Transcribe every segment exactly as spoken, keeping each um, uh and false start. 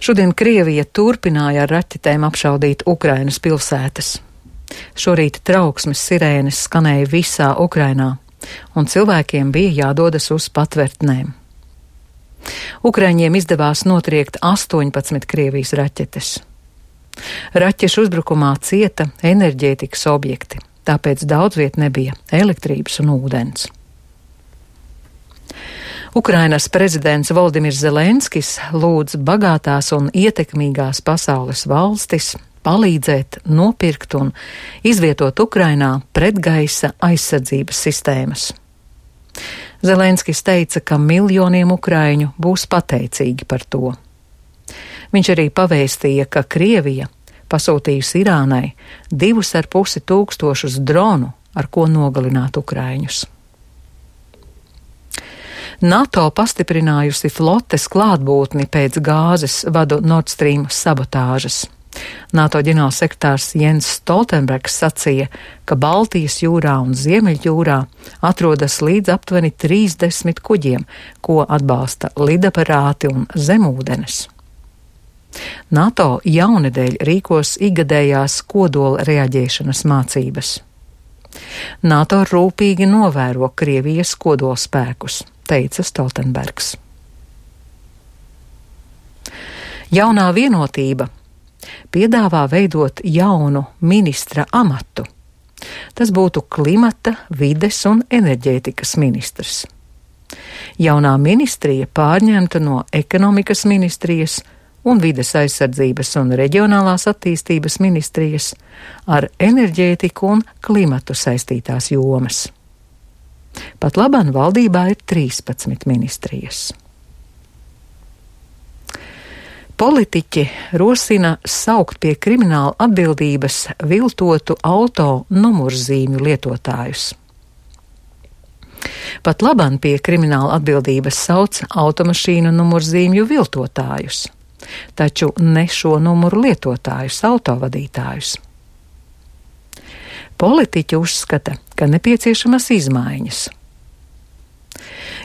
Šodien Krievija turpināja ar raķetēm apšaudīt Ukrainas pilsētas. Šorīt trauksmes sirēnes skanēja visā Ukrainā, un cilvēkiem bija jādodas uz patvērtnēm. Ukraiņiem izdevās notriekt astoņpadsmit Krievijas raķetes. Raķešu uzbrukumā cieta enerģētikas objekti, tāpēc daudz viet nebija elektrības un ūdens. Ukrainas prezidents Voldimirs Zelenskis lūdz bagātās un ietekmīgās pasaules valstis palīdzēt nopirkt un izvietot Ukrainā pretgaisa aizsardzības sistēmas. Zelenskis teica, ka miljoniem ukraiņu būs pateicīgi par to. Viņš arī pavēstīja, ka Krievija pasūtījusi Irānai divus ar pusi tūkstošus dronu, ar ko nogalināt ukraiņus. NATO pastiprinājusi flotes klātbūtni pēc gāzes vadu Nord Stream sabotāžas. NATO ģenerālsekretārs Jens Stoltenbergs sacīja, ka Baltijas jūrā un Ziemeļjūrā atrodas līdz aptuveni trīsdesmit kuģiem, ko atbalsta lidaparāti un zemūdenes. NATO jaunedēļ rīkos ikgadējās kodola reaģēšanas mācības. NATO rūpīgi novēro Krievijas kodolspēkus, teica Stoltenbergs. Jaunā vienotība piedāvā veidot jaunu ministra amatu. Tas būtu klimata, vides un enerģētikas ministrs. Jaunā ministrija pārņemta no ekonomikas ministrijas un vides aizsardzības un reģionālās attīstības ministrijas ar enerģētiku un klimatu saistītās jomas. Pat labāk valdībā ir trīspadsmit ministrijas. Politiķi rosina saukt pie krimināla atbildības viltotu auto numurzīmju lietotājus. Pat labāk pie krimināla atbildības sauc automašīnu numurzīmju viltotājus, taču ne šo numuru lietotājus, autovadītājus. Politiķi uzskata, ka nepieciešamas izmaiņas.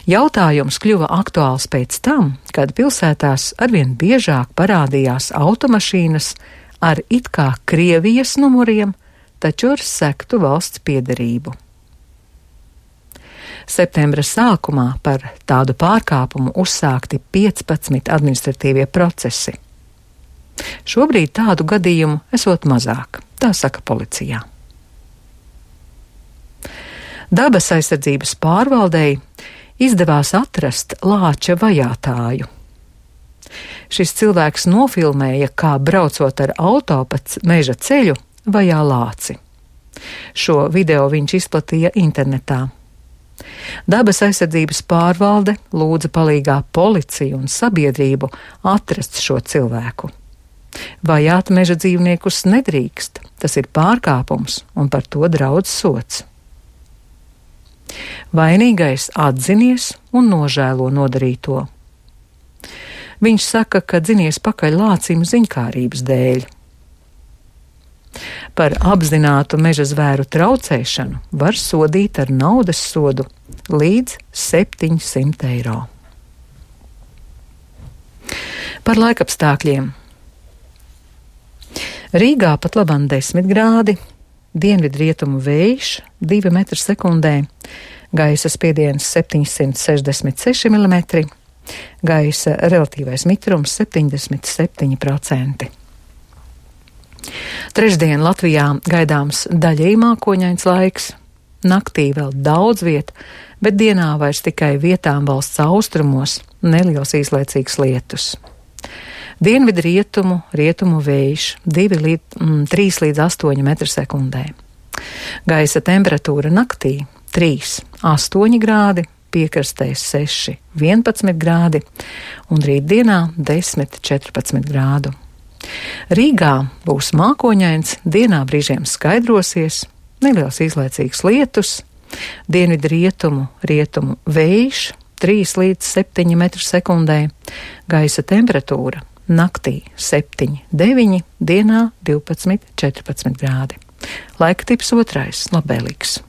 Jautājums kļuva aktuāls pēc tam, kad pilsētās arvien biežāk parādījās automašīnas ar it kā Krievijas numuriem, taču ar sektu valsts piederību. Septembra sākumā par tādu pārkāpumu uzsākti piecpadsmit administratīvie procesi. Šobrīd tādu gadījumu esot mazāk, tā saka policijā. Dabas aizsardzības pārvaldei izdevās atrast lāča vajātāju. Šis cilvēks nofilmēja, kā braucot ar auto pa meža ceļu vajā lāci. Šo video viņš izplatīja internetā. Dabas aizsardzības pārvalde lūdza palīgā policiju un sabiedrību atrast šo cilvēku. Vajāt meža dzīvniekus nedrīkst, tas ir pārkāpums un par to draudz sods. Vainīgais atzinies un nožēlo nodarīto. Viņš saka, ka dzinies pakaļ lācim ziņkārības dēļ. Par apzinātu meža zvēru traucēšanu var sodīt ar naudas sodu līdz septiņsimt eiro. Par laikapstākļiem. Rīgā pat labāk desmit grādi, dienvidrietumu vējš divi metri sekundē, gaisa spiediens septiņsimt sešdesmit seši milimetri, gaisa relatīvais mitrums septiņdesmit septiņi procenti. Trešdien Latvijā gaidāms daļēji mākoņains laiks, naktī vēl daudz viet, bet dienā vairs tikai vietām valsts austrumos neliels īslaicīgs lietus. Dienvidu rietumu, rietumu vējš trīs līdz astoņi metri sekundē. Gaisa temperatūra naktī trīs, astoņi grādi, piekrastē seši, vienpadsmit grādi un rītdienā desmit, četrpadsmit grādu. Rīgā būs mākoņains, dienā brīžiem skaidrosies, neliels īslaicīgs lietus, dienvidu rietumu, rietumu vējš trīs līdz septiņi metri sekundē, gaisa temperatūra naktī septiņi, deviņi, dienā divpadsmit, četrpadsmit grādi. Laika tips otrais, labvēlīgs.